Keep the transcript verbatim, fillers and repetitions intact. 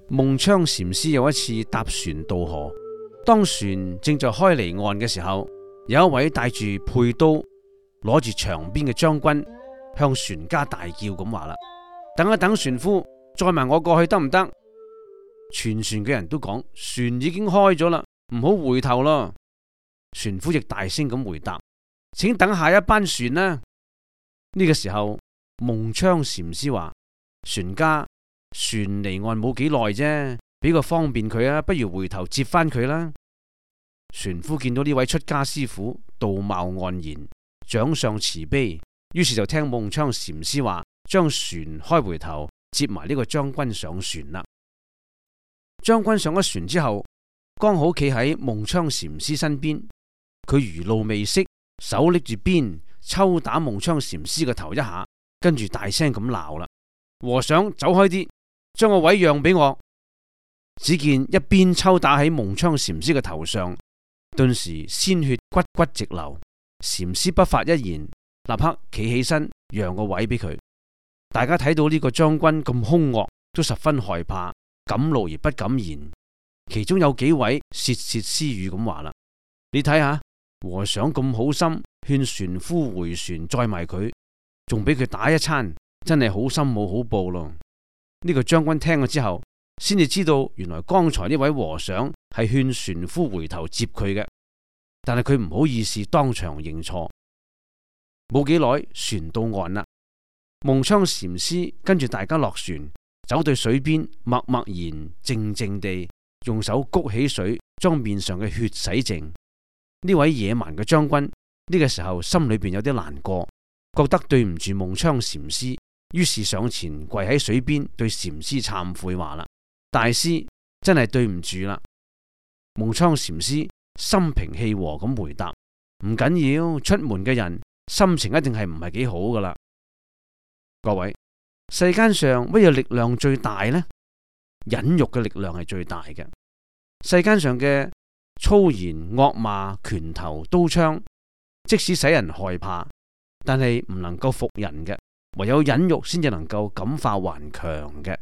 夢窗禪師有一次搭船渡河，當船正在開離岸嘅時候，有一位帶住佩刀、攞住長鞭嘅將軍向船家大叫咁話啦：等一等，船夫，載埋我過去得唔得？全船嘅人都講船已經開咗啦，唔好回頭咯。船夫亦大聲咁回答：請等下一班船啦。呢個時候，夢窗禪師話：船家，船離岸冇幾耐啫，俾個方便佢啊，不如回頭接翻佢啦。船夫見到呢位出家師傅道貌岸然，長相慈悲，於是就聽夢窗禪師話，將船開回頭，接埋呢個將軍上船啦。將軍上咗船之後，剛好企喺夢窗禪師身邊，佢餘怒未息，手拎住鞭抽打夢窗禪師個頭一下，跟住大聲咁鬧啦：和尚，走開啲，將個位讓俾我。只見一鞭抽打喺夢窗禪師嘅頭上，頓時鮮血骨骨直流。禪師不發一言，立刻企起身讓個位俾佢。大家睇到呢個將軍咁兇惡，都十分害怕，敢怒而不敢言。其中有幾位竊竊私語咁話啦：你睇下和尚咁好心，勸船夫回船載埋佢，仲俾佢打一餐，真係好心冇好報咯。呢個將軍聽咗之後，先至知道原來剛才呢位和尚係勸船夫回頭接佢嘅，但係佢唔好意思當場認錯。冇幾耐，船到岸啦。夢窗禪師跟住大家落船，走到水邊，默默然靜靜地用手谷起水，將面上嘅血洗淨。呢位野蠻嘅將軍呢個時候心裏邊有啲難過，覺得對唔住夢窗禪師，於是上前跪喺水邊對禪師懺悔話啦：大師真係對唔住啦。夢窗禪師心平氣和咁回答：唔緊要，出門嘅人心情一定係唔係幾好噶啦。各位，世間上乜嘢力量最大呢？忍辱嘅力量係最大嘅。世間上嘅粗言惡罵、拳頭刀槍，即使使人害怕，但係唔能夠服人嘅，唯有忍辱先至能夠感化頑強嘅。